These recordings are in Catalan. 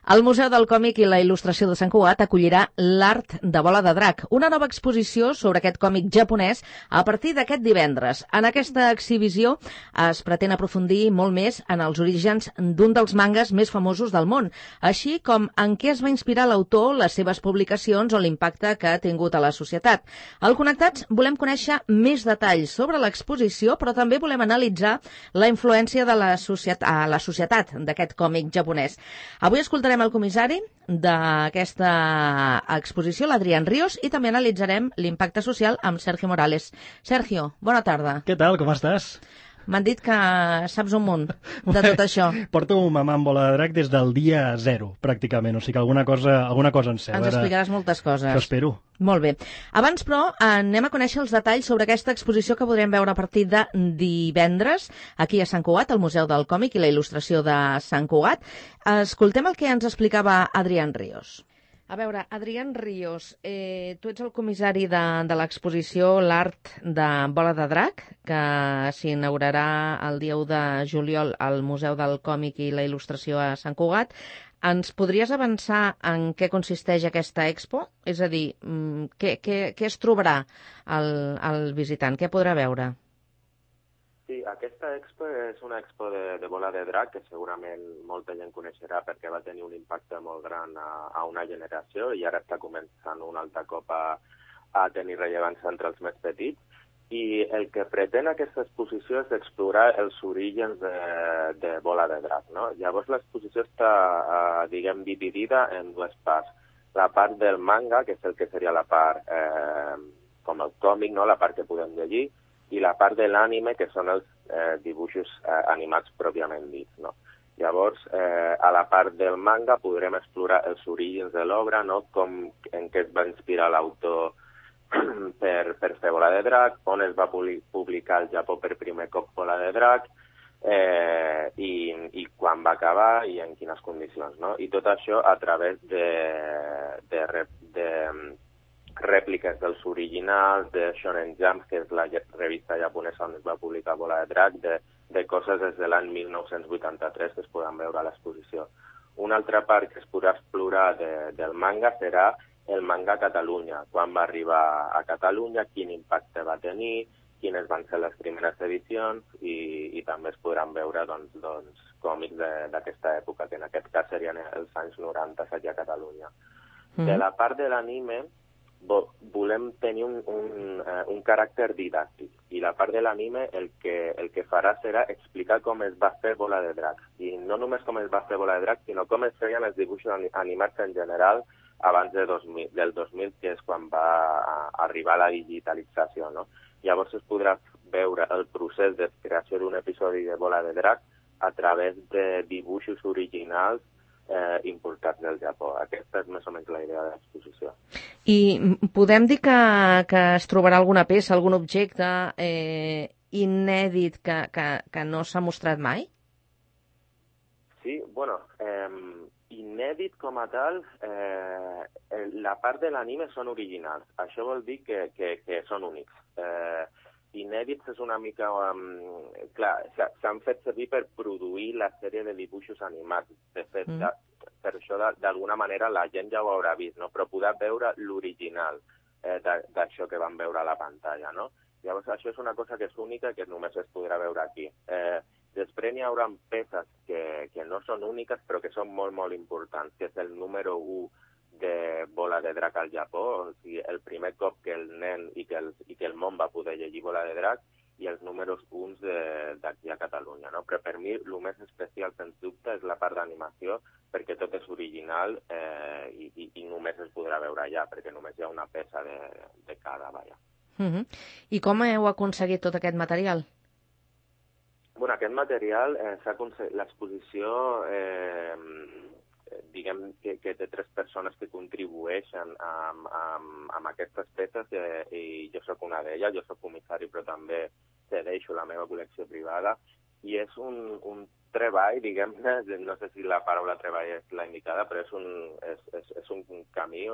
El Museu del Còmic i la Il·lustració de Sant Cugat acollirà l'Art de Bola de Drac, una nova exposició sobre aquest còmic japonès a partir d'aquest divendres. En aquesta exhibició es pretén aprofundir molt més en els orígens d'un dels mangas més famosos del món, així com en què es va inspirar l'autor, les seves publicacions o l'impacte que ha tingut a la societat. Al Connectats volem conèixer més detalls sobre l'exposició, però també volem analitzar la influència de la societat d'aquest còmic japonès. Avui escoltarem el comissari d'aquesta exposició, l'Adrián Ríos, i també analitzarem l'impacte social amb Sergio Morales. Sergio, bona tarda. Què tal, com estàs? M'han dit que saps un munt de tot això. Porto mamant bola de drac des del dia 0, pràcticament, o sigui que alguna cosa en sé. Ens explicaràs moltes coses. Això espero. Molt bé. Abans, però, anem a conèixer els detalls sobre aquesta exposició que podrem veure a partir de divendres aquí a Sant Cugat, al Museu del Còmic i la Il·lustració de Sant Cugat. Escoltem el que ens explicava Adrián Ríos. A veure, Adrián Ríos, tu ets el comissari de l'exposició L'Art de Bola de Drac, que s'inaugurarà el dia 1 de juliol al Museu del Còmic i la Il·lustració a Sant Cugat. Ens podries avançar en què consisteix aquesta expo? És a dir, què es trobarà el visitant? Què podrà veure? Sí, aquesta expo és una expo de bola de drac que segurament molta gent coneixerà perquè va tenir un impacte molt gran a una generació i ara està començant un altre cop a tenir rellevància entre els més petits. I el que pretén aquesta exposició és explorar els orígens de bola de drac, no? Llavors l'exposició està, dividida en dues parts. La part del manga, que és el que seria la part com el còmic, no? La part que podem llegir, i la part de l'ànime, que són els dibuixos animats pròpiament dits, no? Llavors, a la part del manga podrem explorar els orígens de l'obra, no? En què es va inspirar l'autor per fer Bola de Drac, on es va publicar al Japó per primer cop Bola de Drac, i quan va acabar i en quines condicions, no? I tot això a través de rèpliques dels originals, de Shonen Jump, que és la revista japonesa on es va publicar Bola de Drac, de coses des de l'any 1983 que es poden veure a l'exposició. Una altra part que es podrà explorar del manga serà el manga a Catalunya, quan va arribar a Catalunya, quin impacte va tenir, quines van ser les primeres edicions i també es podran veure doncs, còmics d'aquesta època, que en aquest cas serien els anys 90 allà a Catalunya. De la part de l'anime volem tenir un caràcter didàctic i la part de l'anime el que farà serà explicar com es va fer Bola de Drac i no només com es va fer Bola de Drac sinó com es feien els dibuixos animats en general abans del 2000, que és quan va arribar la digitalització, no? Llavors es podrà veure el procés de creació d'un episodi de Bola de Drac a través de dibuixos originals importats del Japó. Aquesta és més o menys la idea de l'exposició. I podem dir que es trobarà alguna peça, algun objecte inèdit que no s'ha mostrat mai? Sí, bueno, inèdit com a tal, la part de l'anime són originals. Això vol dir que són únics. Inèdits és una mica... clar, s'han fet servir per produir la sèrie de dibuixos animats. De fet, per això, d'alguna manera, la gent ja ho haurà vist, no? Però poder veure l'original d'això que van veure a la pantalla, no? Llavors, això és una cosa que és única i que només es podrà veure aquí. Després n'hi haurà peces que no són úniques, però que són molt, molt importants, que és el número 1 de Bola de Drac al Japó, o sigui, el primer cop que el nen i que el món va poder llegir Bola de Drac i els números 1 d'aquí a Catalunya, no? Però per mi el més especial, sens dubte, és la part d'animació, perquè tot és original i només es podrà veure allà, perquè només hi ha una peça de cada, vaja. I com heu aconseguit tot aquest material? Bueno, aquest material l'exposició diguem que té 3 persones que contribueixen amb aquestes peces i jo sóc una d'elles, jo sóc comissari però també cedeixo la meva col·lecció privada i és un treball, diguem-ne, no sé si la paraula treball és la indicada, però és un camí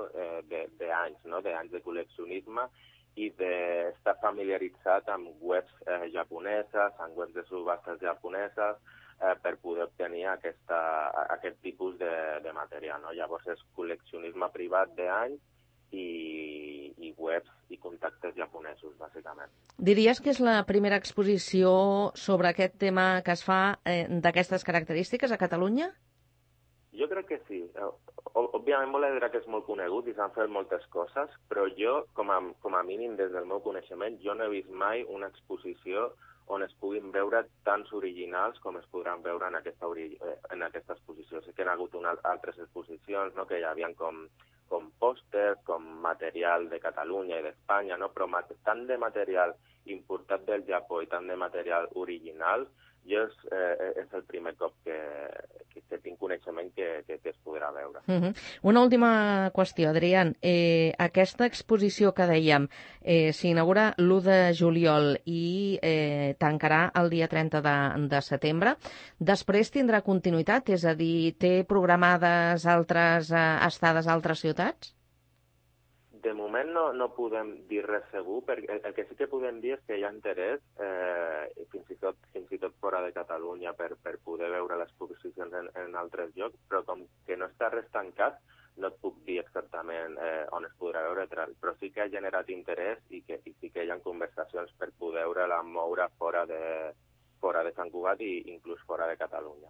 d'anys, no? D'anys de col·leccionisme i d'estar familiaritzat amb webs japoneses, amb webs de subhastes japoneses, per poder obtenir aquest tipus de material. No? Llavors és col·leccionisme privat d'anys i webs i contactes japonesos, bàsicament. Diries que és la primera exposició sobre aquest tema que es fa d'aquestes característiques a Catalunya? Jo crec que sí. Òbviament, Bola de Drac és molt conegut i s'han fet moltes coses, però jo, com a mínim, des del meu coneixement, jo no he vist mai una exposició on es puguin veure tants originals com es podran veure en aquesta exposició. Sí que hi ha hagut altres exposicions, no?, que hi havia com pòsters, com material de Catalunya i d'Espanya, no? Però tant de material importat del Japó i tant de material original, jo és el primer cop que tinc coneixement que es podrà veure. Una última qüestió, Adrián. Aquesta exposició que dèiem s'inaugura l'1 de juliol i tancarà el dia 30 de setembre. Després tindrà continuïtat? És a dir, té programades altres estades a altres ciutats? De moment no podem dir res segur, perquè el que sí que podem dir és que hi ha interès, fins i tot fora de Catalunya, per poder veure les exposicions en altres llocs, però com que no està res tancat, no et puc dir exactament on es podrà veure, però sí que ha generat interès i sí que hi ha conversacions per poder-la moure fora de Sant Cugat i inclús fora de Catalunya.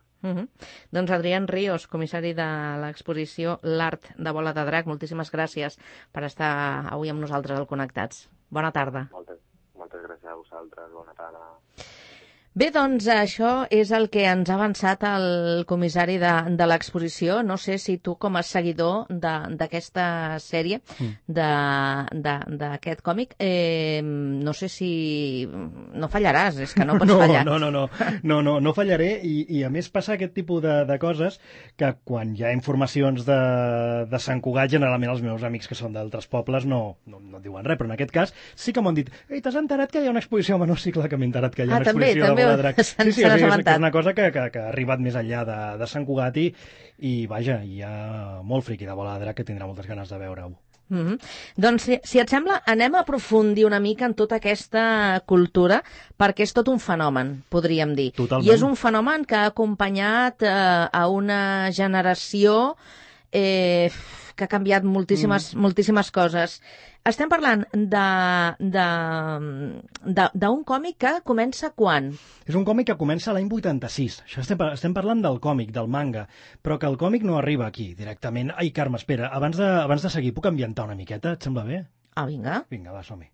Doncs Adrián Ríos, comissari de l'exposició L'Art de Bola de Drac, moltíssimes gràcies per estar avui amb nosaltres al Connectats. Bona tarda. Moltes gràcies a vosaltres. Bona tarda. Bé, doncs això és el que ens ha avançat el comissari de l'exposició. No sé si tu, com a seguidor d'aquesta sèrie, d'aquest còmic, no sé si no fallaràs, és que no pots fallar. No fallaré, i a més passa aquest tipus de coses que quan hi ha informacions de Sant Cugat, generalment els meus amics que són d'altres pobles no diuen res, però en aquest cas sí que m'han dit: ei, t'has enterat que hi ha una exposició a Menocicle, que m'he enterat que hi ha una exposició també. Sí, és una cosa que ha arribat més enllà de Sant Cugat i vaja, hi ha molt friqui de Bola de Drac que tindrà moltes ganes de veure-ho. Doncs, si et sembla, anem a aprofundir una mica en tota aquesta cultura, perquè és tot un fenomen, podríem dir. Totalment. I és un fenomen que ha acompanyat a una generació que ha canviat moltíssimes coses. Estem parlant d'un còmic que comença quan? És un còmic que comença l'any 86. Això estem parlant del còmic, del manga, però que el còmic no arriba aquí directament. Ai, Carme, espera, abans de seguir, puc ambientar una miqueta? Et sembla bé? Ah, vinga. Vinga, va, som-hi.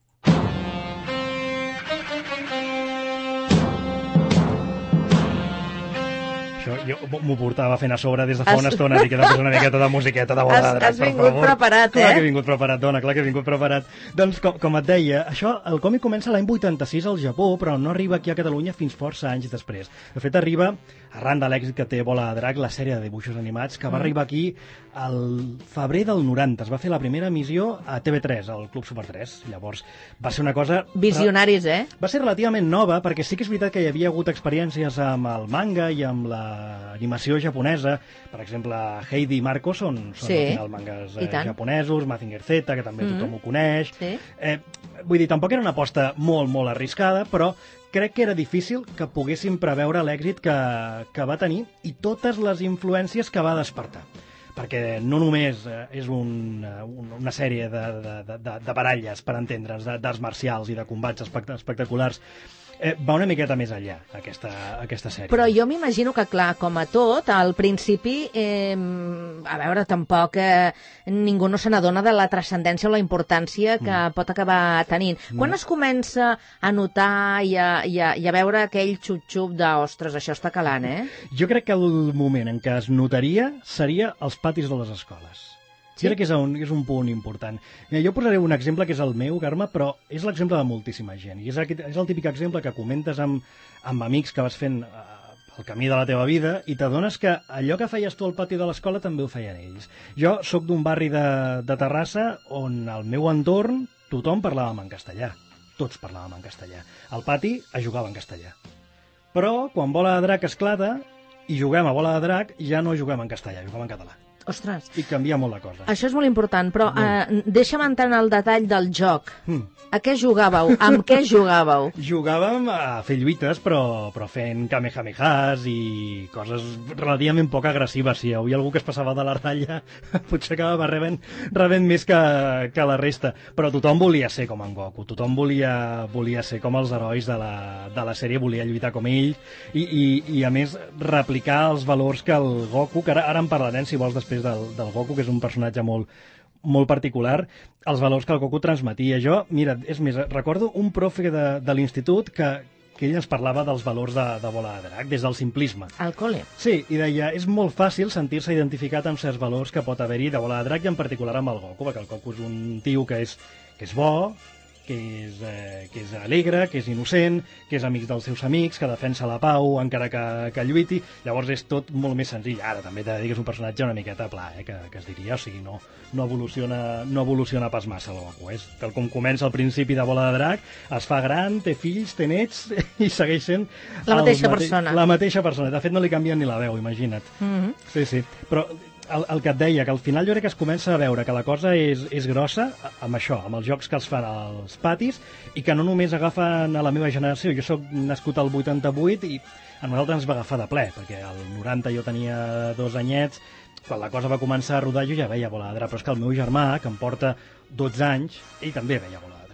Això jo m'ho portava fent a sobre des de fa una estona, i queda una miqueta de musiqueta de Bola de Drac, per favor. Has vingut preparat, Clar que he vingut preparat, dona, clar que he vingut preparat. Doncs, com et deia, el còmic comença l'any 86 al Japó, però no arriba aquí a Catalunya fins força anys després. De fet, arriba, arran de l'èxit que té Bola de Drac, la sèrie de dibuixos animats, que va arribar aquí al febrer del 90. Es va fer la primera emissió a TV3, al Club Super 3. Llavors, va ser una cosa... Visionaris, Va ser relativament nova, perquè sí que és veritat que hi havia hagut experiències amb el manga i amb l'animació japonesa. Per exemple, Heidi i Marco són al final mangas japonesos, Mazinger Z, que també tothom ho coneix. Sí. Vull dir, tampoc era una aposta molt arriscada, però crec que era difícil que poguéssim preveure l'èxit que va tenir i totes les influències que va despertar. Perquè no només és una sèrie de baralles, per entendre'ns, d'arts marcials i de combats espectaculars, va una miqueta més enllà, aquesta sèrie. Però jo m'imagino que, clar, com a tot, al principi, a veure, tampoc ningú no se n'adona de la transcendència o la importància que pot acabar tenint. Quan es comença a notar i a veure aquell xup-xup d'ostres, això està calant, Jo crec que el moment en què es notaria seria als patis de les escoles. Sí? Crec que és un punt important. Jo posaré un exemple que és el meu, Carme, però és l'exemple de moltíssima gent. I és el típic exemple que comentes amb amics que vas fent el camí de la teva vida i t'adones que allò que feies tu al pati de l'escola també ho feien ells. Jo sóc d'un barri de Terrassa on al meu entorn tothom parlàvem en castellà. Tots parlàvem en castellà. Al pati es jugava en castellà. Però quan Bola de Drac esclata i juguem a Bola de Drac ja no juguem en castellà, juguem en català. Ostres. I canvia molt la cosa. Això és molt important, però deixa'm entrar en el detall del joc. A què jugàveu? Amb què jugàveu? Jugàvem a fer lluites, però fent kamehamehas i coses relativament poc agressives. Si hi havia algú que es passava de la ratlla, potser acabava rebent més que la resta. Però tothom volia ser com en Goku, tothom volia ser com els herois de la sèrie, volia lluitar com ell i a més replicar els valors que el Goku, que ara en parlarem si vols després del Goku, que és un personatge molt particular, els valors que el Goku transmetia. Jo, mira, és més, recordo un profe de l'institut que ell ens parlava dels valors de Bola de Drac, des del simplisme. Al col·le? Sí, i deia, és molt fàcil sentir-se identificat amb certs valors que pot haver-hi de Bola de Drac i en particular amb el Goku, perquè el Goku és un tio que és bo, que és alegre, que és innocent, que és amic dels seus amics, que defensa la pau encara que lluiti. Llavors és tot molt més senzill. Ara també t'he de dir que és un personatge una miqueta pla, que es diria, o sigui, no evoluciona pas massa el Goku. És tal com comença al principi de Bola de Drac, es fa gran, té fills, té nets i segueix sent la mateixa persona. La mateixa persona. De fet, no li canvien ni la veu, imagina't. Sí. Però el que et deia, que al final jo crec que es comença a veure que la cosa és grossa amb això, amb els jocs que els fan als patis i que no només agafen a la meva generació. Jo sóc nascut al 88 i a nosaltres ens va agafar de ple, perquè al 90 jo tenia 2 anyets, quan la cosa va començar a rodar jo ja veia Bola de Drac, però és que el meu germà, que em porta 12 anys, ell també veia Bola de Drac.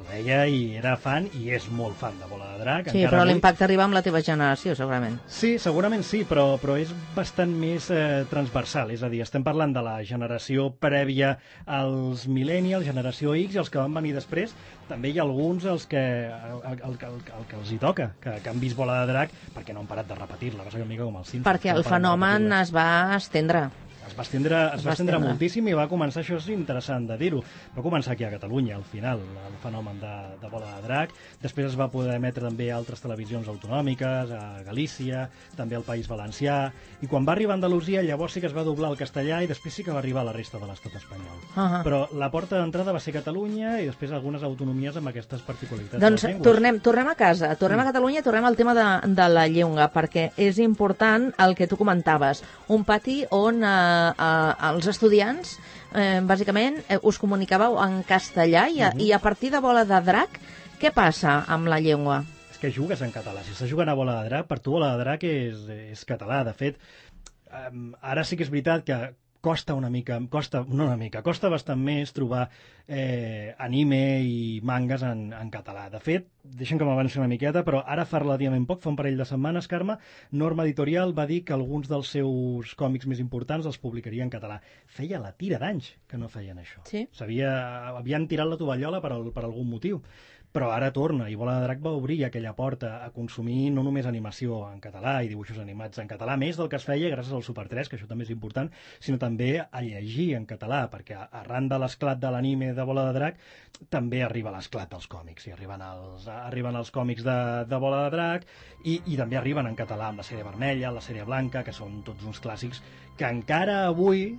Ho veia i era fan, i és molt fan de Bola de Drac. Sí, però l'impacte arriba amb la teva generació, segurament. Sí, segurament sí, però és bastant més transversal. És a dir, estem parlant de la generació prèvia als millennials, generació X, i els que van venir després. També hi ha alguns el que els hi toca, que han vist Bola de Drac, perquè no han parat de repetir-la. Va ser una mica com els Simpsons. Perquè el fenomen es va estendre. Es va estendre moltíssim i va començar, això és interessant de dir-ho, va començar aquí a Catalunya, al final, el fenomen de Bola de Drac. Després es va poder emetre també a altres televisions autonòmiques, a Galícia, també al País Valencià, i quan va arribar a Andalusia llavors sí que es va doblar al castellà i després sí que va arribar a la resta de l'estat espanyol. Però la porta d'entrada va ser Catalunya i després algunes autonomies amb aquestes particularitats. Doncs tornem a casa, tornem a Catalunya, tornem al tema de la llengua, perquè és important el que tu comentaves, un pati on els estudiants, bàsicament, us comunicàveu en castellà i a partir de Bola de Drac, què passa amb la llengua? És que jugues en català. Si estàs jugant a Bola de Drac, per tu Bola de Drac és català. De fet, ara sí que és veritat que costa bastant més trobar anime i mangas en català. De fet, deixem que m'avanci una miqueta, però ara fa relativament poc, fa un parell de setmanes, Carme, Norma Editorial va dir que alguns dels seus còmics més importants els publicaria en català. Feia la tira d'anys que no feien això. Sí. Havien tirat la tovallola per algun motiu. Però ara torna, i Bola de Drac va obrir aquella porta a consumir no només animació en català i dibuixos animats en català, més del que es feia gràcies al Super 3, que això també és important, sinó també a llegir en català, perquè arran de l'esclat de l'anime de Bola de Drac també arriba l'esclat dels còmics, i arriben els còmics de Bola de Drac i també arriben en català amb la sèrie vermella, la sèrie blanca, que són tots uns clàssics que encara avui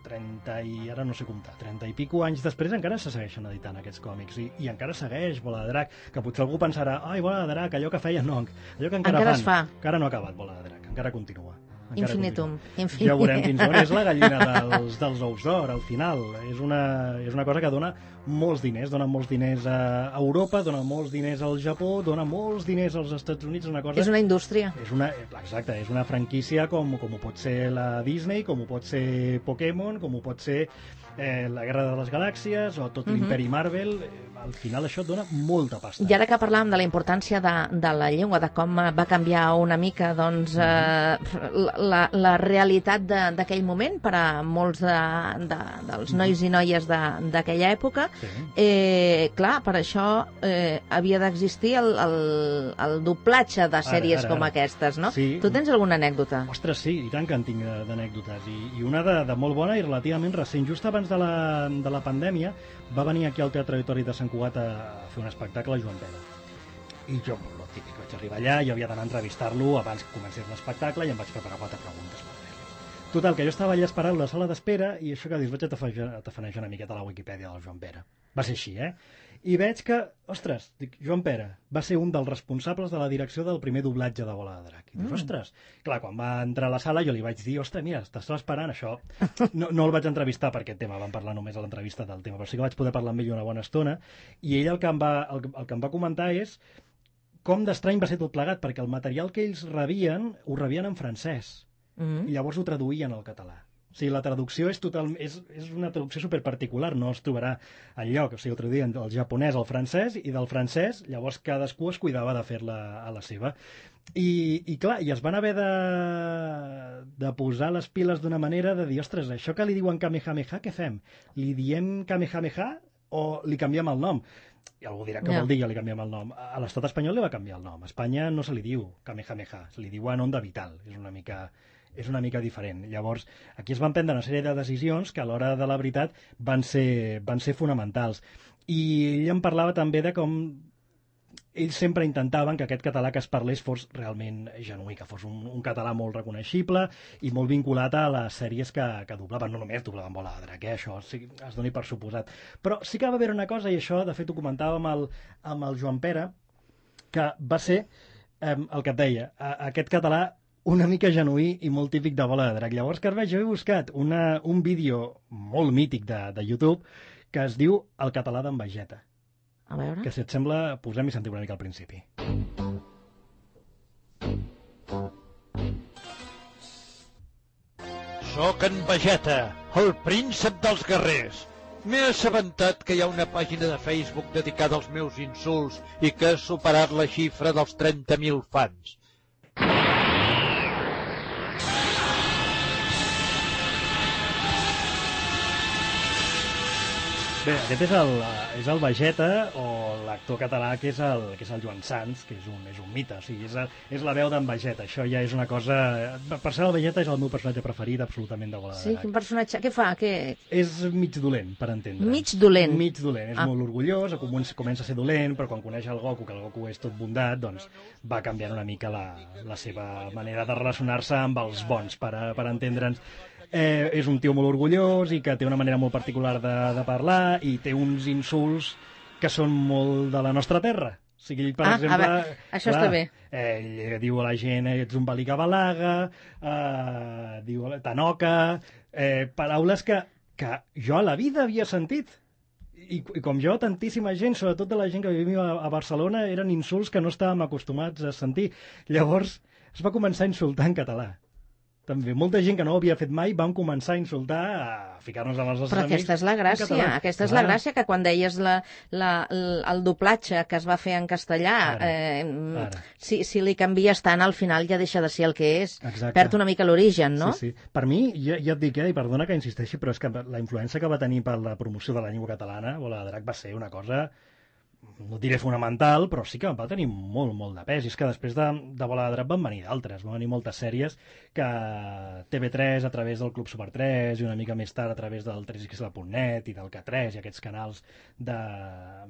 30 i pico anys després encara se segueixen editant aquests còmics i encara segueix Bola de Drac, que potser algú pensarà, ai, Bola de Drac, allò que feien, no, allò que encara fan, encara no ha acabat Bola de Drac, encara continua. Infinitum. Ja veurem fins on és la gallina dels ous d'or, al final. És una cosa que dona molts diners a Europa, dona molts diners al Japó, dona molts diners als Estats Units. És una indústria. Exacte, és una franquícia com ho pot ser la Disney, com ho pot ser Pokémon, com ho pot ser la Guerra de les Galàxies o tot l'imperi Marvel. Al final això et dona molta pasta. I ara que parlàvem de la importància de la llengua, de com va canviar una mica doncs, la realitat d'aquell moment per a molts dels nois i noies d'aquella època, clar, per això havia d'existir el doblatge de sèries com aquestes, no? Sí. Tu tens alguna anècdota? Ostres, sí, i tant que en tinc d'anècdotes. I una de molt bona i relativament recent. Just abans de la pandèmia va venir aquí al Teatre Auditori de Sant Cugat a fer un espectacle a Joan Pera. I jo, el típic, vaig arribar allà, jo havia d'anar a entrevistar-lo abans que comencés l'espectacle i em vaig preparar 4 preguntes per fer-li. Total, que jo estava allà esperant la sala d'espera i això que dius, vaig a tafanejar una miqueta a la Wikipedia del Joan Pera. Va ser així, I veig que, ostres, dic, Joan Pere va ser un dels responsables de la direcció del primer doblatge de Bola de Drac. I dius, ostres, clar, quan va entrar a la sala jo li vaig dir, ostres, mira, t'estava esperant això. No el vaig entrevistar per aquest tema, vam parlar només a l'entrevista del tema, però sí que vaig poder parlar amb ell una bona estona, i ell el que em va comentar és com d'estrany va ser tot plegat, perquè el material que ells rebien, ho rebien en francès, i llavors ho traduïen al català. O sigui, la traducció és una traducció superparticular, no es trobarà enlloc. O sigui, ho traduïen del japonès al francès i del francès, llavors cadascú es cuidava de fer-la a la seva. I clar, i es van haver de posar les piles d'una manera de dir, ostres, això que li diuen Kamehameha, què fem? Li diem Kamehameha o li canviem el nom? I algú dirà que vol dir que li canviem el nom. A l'estat espanyol li va canviar el nom. A Espanya no se li diu Kamehameha, se li diuen Onda Vital. És una mica diferent. Llavors, aquí es van prendre una sèrie de decisions que a l'hora de la veritat van ser fonamentals. I ell em parlava també de com ells sempre intentaven que aquest català que es parlés fos realment genuí, que fos un català molt reconeixible i molt vinculat a les sèries que doblaven, no només doblaven Bola de Drac, això sí, es doni per suposat. Però sí que va haver una cosa, i això de fet ho comentava amb el Joan Pere, que va ser el que et deia, aquest català una mica genuí i molt típic de Bola de Drac. Llavors, que jo he buscat un vídeo molt mític de YouTube que es diu El català d'en Vegeta. A veure. Que si et sembla, posem i sentim una mica al principi. Soc en Vegeta, el príncep dels guerrers. M'he assabentat que hi ha una pàgina de Facebook dedicada als meus insults i que ha superat la xifra dels 30.000 fans. Bé, aquest és el Vegeta, o l'actor català que és el Joan Sans, que és un mite, o sigui, és la veu d'en Vegeta. Això ja és una cosa... Per ser el Vegeta és el meu personatge preferit absolutament de Bola de Drac. Sí, quin personatge? Què fa? És mig dolent, per entendre. Mig dolent? Mig dolent, és molt orgullós, comença a ser dolent, però quan coneix el Goku, que el Goku és tot bondat, doncs va canviant una mica la seva manera de relacionar-se amb els bons, per entendre'ns. És un tio molt orgullós i que té una manera molt particular de parlar i té uns insults que són molt de la nostra terra. O sigui, ell, per exemple... Això està bé. Ell diu a la gent, ets un balicabalaga, diu tanoca, paraules que jo a la vida havia sentit. I com jo, tantíssima gent, sobretot de la gent que vivia a Barcelona, eren insults que no estàvem acostumats a sentir. Llavors es va començar a insultar en català. També molta gent que no ho havia fet mai vam començar a insultar, a ficar-nos amb els nostres amics. Però aquesta és la gràcia, és la gràcia, que quan deies el doblatge que es va fer en castellà, si li canvies tant, al final ja deixa de ser el que és. Exacte. Perd una mica l'origen, no? Sí. Per mi, ja et dic, i perdona que insisteixi, però és que la influència que va tenir per la promoció de la llengua catalana, Bola de Drac, va ser una cosa... no diré fonamental, però sí que va tenir molt, molt de pes. I és que després de Bola de Drac van venir d'altres, van venir moltes sèries que TV3 a través del Club Super 3 i una mica més tard a través del 3xl.net i del K3 i aquests canals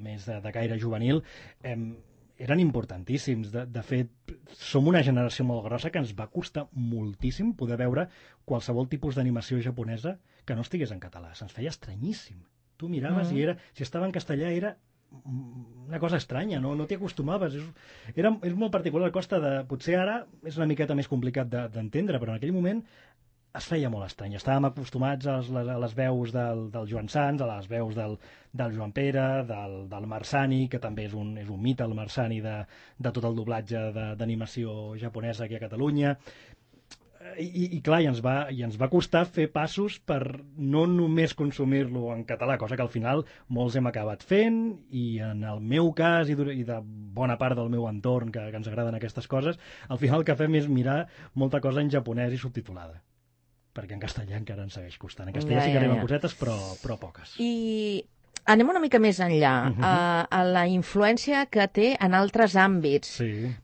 més de caire juvenil eren importantíssims. De fet, som una generació molt grossa que ens va costar moltíssim poder veure qualsevol tipus d'animació japonesa que no estigués en català. Se'ns feia estranyíssim. Tu miraves i si estava en castellà era una cosa estranya, no t'hi acostumaves. És molt particular, potser ara és una miqueta més complicat d'entendre, però en aquell moment es feia molt estrany. Estàvem acostumats a les veus del Joan Sans, a les veus del Joan Pere, del Marsani, que també és un mite, el Marsani, de tot el doblatge d'animació japonesa aquí a Catalunya. I clar, i ens va costar fer passos per no només consumir-lo en català, cosa que al final molts hem acabat fent, i en el meu cas i de bona part del meu entorn que ens agraden aquestes coses, al final el que fem és mirar molta cosa en japonès i subtitulada, perquè en castellà encara ens segueix costant. En castellà sí que arriben cosetes, però poques. I anem una mica més enllà, a la influència que té en altres àmbits,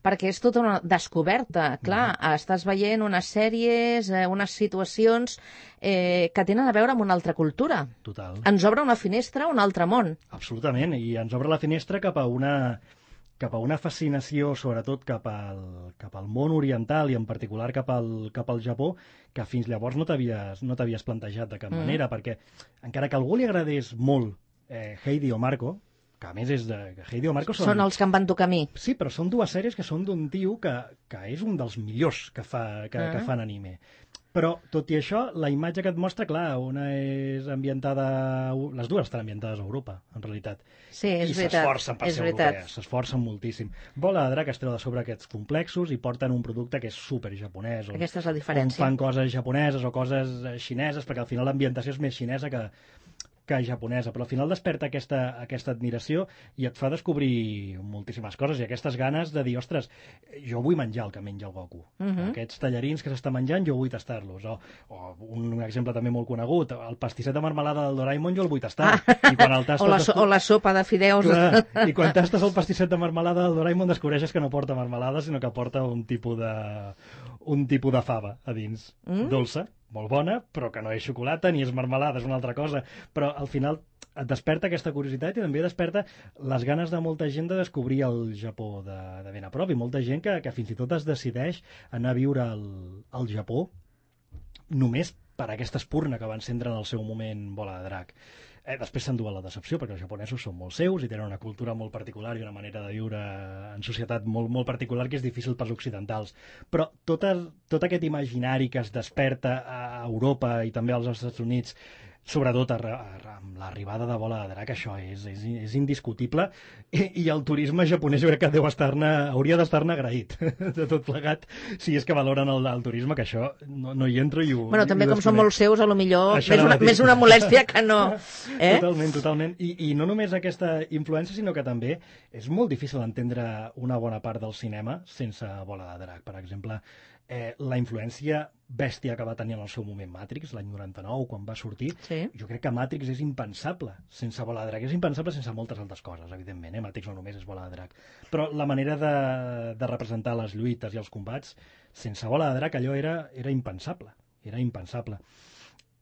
perquè és tota una descoberta. Clar, estàs veient unes sèries, unes situacions que tenen a veure amb una altra cultura. Total. Ens obre una finestra a un altre món. Absolutament, i ens obre la finestra cap a una fascinació, sobretot cap al món oriental i en particular cap al Japó, que fins llavors no t'havies plantejat de cap manera, perquè encara que a algú li agradés molt Heidi o Marco, que a més és de... Heidi o Marco són els que em van tocar a mi. Sí, però són dues sèries que són d'un tio que és un dels millors que fan anime. Però, tot i això, la imatge que et mostra, clar, una és ambientada... Les dues estan ambientades a Europa, en realitat. Sí, és veritat. I s'esforcen per ser europees, s'esforcen moltíssim. Bola de Drac es treu de sobre aquests complexos i porten un producte que és super japonès. Aquesta és la diferència. Fan coses japoneses o coses xineses, perquè al final l'ambientació és més xinesa que japonesa, però al final desperta aquesta admiració i et fa descobrir moltíssimes coses i aquestes ganes de dir, ostres, jo vull menjar el que menja el Goku. Aquests tallarins que s'està menjant, jo vull tastar-los. O un exemple també molt conegut, el pastisset de marmelada del Doraemon jo el vull tastar. I quan el tastes, o la sopa de fideus. Clar, i quan tastes el pastisset de marmelada del Doraemon descobreixes que no porta marmelada, sinó que porta un tipus de fava a dins. Dolça, molt bona, però que no és xocolata ni és marmelada, és una altra cosa. Però al final et desperta aquesta curiositat i també desperta les ganes de molta gent de descobrir el Japó de ben a prop, i molta gent que fins i tot es decideix anar a viure al Japó només per aquesta espurna que va encendre en el seu moment Bola de Drac. Després s'endú a la decepció, perquè els japonesos són molt seus i tenen una cultura molt particular i una manera de viure en societat molt, molt particular que és difícil pels occidentals. Però tot aquest imaginari que es desperta a Europa i també als Estats Units, sobretot amb l'arribada de Bola de Drac, això és indiscutible, i el turisme japonès jo crec que hauria d'estar-ne agraït de tot plegat, si és que valoren el turisme, que això no hi entro i ho... Bueno, també com són molt seus, a lo millor més una molèstia que no. Totalment. I no només aquesta influència, sinó que també és molt difícil entendre una bona part del cinema sense Bola de Drac. Per exemple, la influència bèstia que va tenir en el seu moment Matrix, l'any 99, quan va sortir, sí. Jo crec que Matrix és impensable sense Bola de Drac. És impensable sense moltes altres coses, evidentment, Matrix no només és Bola de Drac. Però la manera de representar les lluites i els combats, sense Bola de Drac allò era impensable. Era impensable.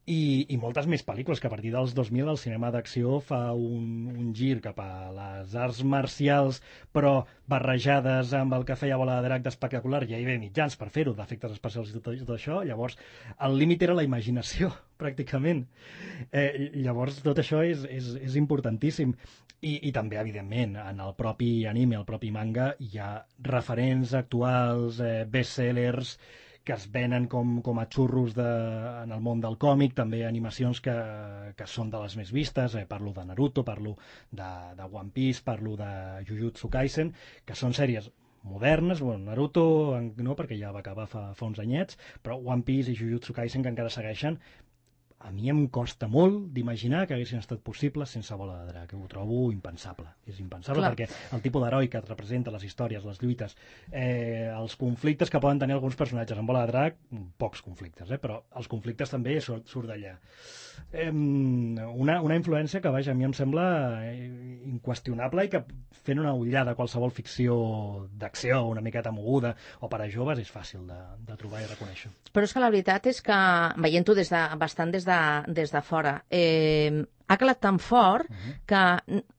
I moltes més pel·lícules, que a partir dels 2000 el cinema d'acció fa un gir cap a les arts marcials, però barrejades amb el que feia Bola de Drac d'espectacular. Ja hi havia mitjans per fer-ho, d'efectes especials i tot això. Llavors, el límit era la imaginació, pràcticament. Llavors, tot això és importantíssim. I també, evidentment, en el propi anime, el propi manga, hi ha referents actuals, bestsellers, que es venen com a xurros en el món del còmic, també animacions que són de les més vistes, parlo de Naruto, parlo de One Piece, parlo de Jujutsu Kaisen, que són sèries modernes. Bueno, Naruto no, perquè ja va acabar fa uns anyets, però One Piece i Jujutsu Kaisen que encara segueixen. A mi em costa molt d'imaginar que haguessin estat possibles sense Bola de Drac. Ho trobo impensable. És impensable. Clar. Perquè el tipus d'heroi que et representa, les històries, les lluites, els conflictes que poden tenir alguns personatges. En Bola de Drac, pocs conflictes, però els conflictes també surt d'allà. Una influència que, vaja, a mi em sembla inqüestionable i que fent una ullada a qualsevol ficció d'acció una miqueta moguda o per a joves és fàcil de trobar i reconèixer. Però és que la veritat és que, veient-ho bastant des de fora, ha calat tan fort que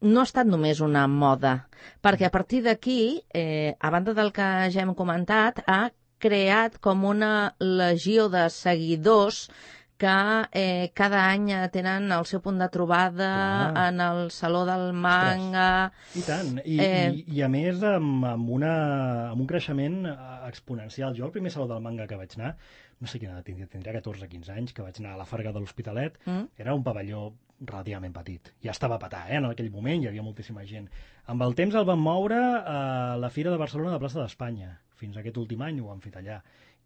no ha estat només una moda, perquè a partir d'aquí, a banda del que ja hem comentat, ha creat com una legió de seguidors que cada any tenen el seu punt de trobada en el Saló del Manga. I tant, i a més amb un creixement exponencial. Jo el primer Saló del Manga que vaig anar, no sé quina edat tindria 14-15 anys, que vaig anar a la Farga de l'Hospitalet, era un pavelló relativament petit. Ja estava a petar, en aquell moment hi havia moltíssima gent. Amb el temps el van moure a la Fira de Barcelona de Plaça d'Espanya. Fins aquest últim any ho han fet allà.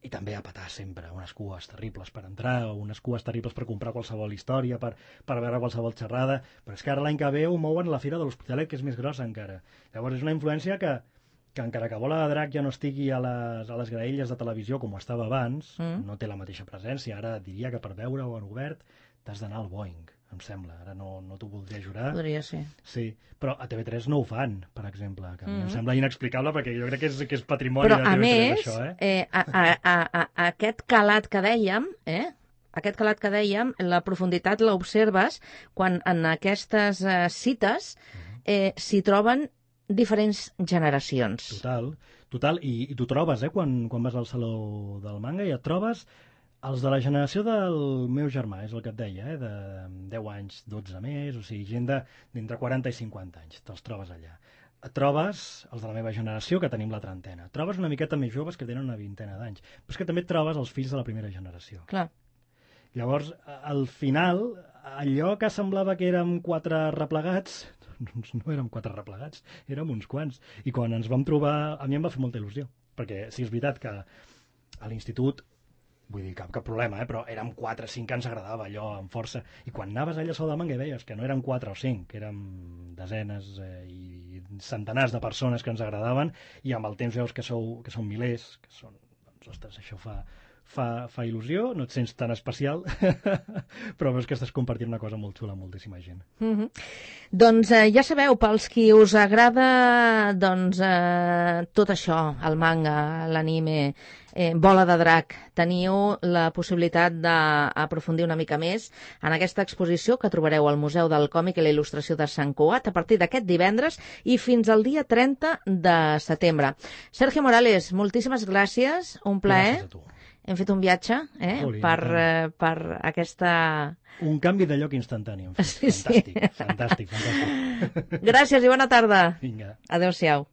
I també a petar sempre, unes cues terribles per entrar, o unes cues terribles per comprar qualsevol història, per veure qualsevol xerrada, però és que ara l'any que ve ho mouen a la Fira de l'Hospitalet, que és més grossa encara. Llavors és una influència que encara que Bola de Drac ja no estigui a les graelles de televisió com ho estava abans, no té la mateixa presència. Ara diria que per veure-ho en obert t'has d'anar al Boeing, em sembla. Ara no t'ho voldria jurar. Podria ser. Sí, però a TV3 no ho fan, per exemple, que a mi em sembla inexplicable perquè jo crec que és patrimoni de TV3, això. Però, a més, aquest calat que dèiem, la profunditat l'observes quan en aquestes cites s'hi troben diferents generacions. Total. I t'ho trobes, quan vas al Saló del Manga i et trobes Els de la generació del meu germà, és el que et deia, de 10 anys, 12 més, o sigui, gent d'entre 40 i 50 anys, te'ls trobes allà. Trobes els de la meva generació, que tenim la trentena. Trobes una miqueta més joves que tenen una vintena d'anys. Però és que també trobes els fills de la primera generació. Clar. Llavors, al final, allò que semblava que érem 4 replegats, doncs no érem 4 replegats, érem uns quants. I quan ens vam trobar, a mi em va fer molta il·lusió, perquè sí, és veritat que a l'institut, vull dir, cap problema, però érem 4 o 5 que ens agradava allò amb força. I quan anaves allà a Salamanca i veies que no eren 4 o 5, que érem desenes i centenars de persones que ens agradaven, i amb el temps veus que són milers, que són, doncs, ostres, això fa il·lusió, no et sents tan especial, però veus que estàs compartint una cosa molt xula amb moltíssima gent. Doncs ja sabeu, pels qui us agrada tot això, el manga, l'anime, Bola de Drac, teniu la possibilitat d'aprofundir una mica més en aquesta exposició que trobareu al Museu del Còmic i la Il·lustració de Sant Cugat a partir d'aquest divendres i fins al dia 30 de setembre. Sergio Morales, moltíssimes gràcies, un plaer. Gràcies a tu. Hem fet un viatge per aquesta... Un canvi de lloc instantani. Sí. Fantàstic. Gràcies i bona tarda. Vinga. Adéu-siau.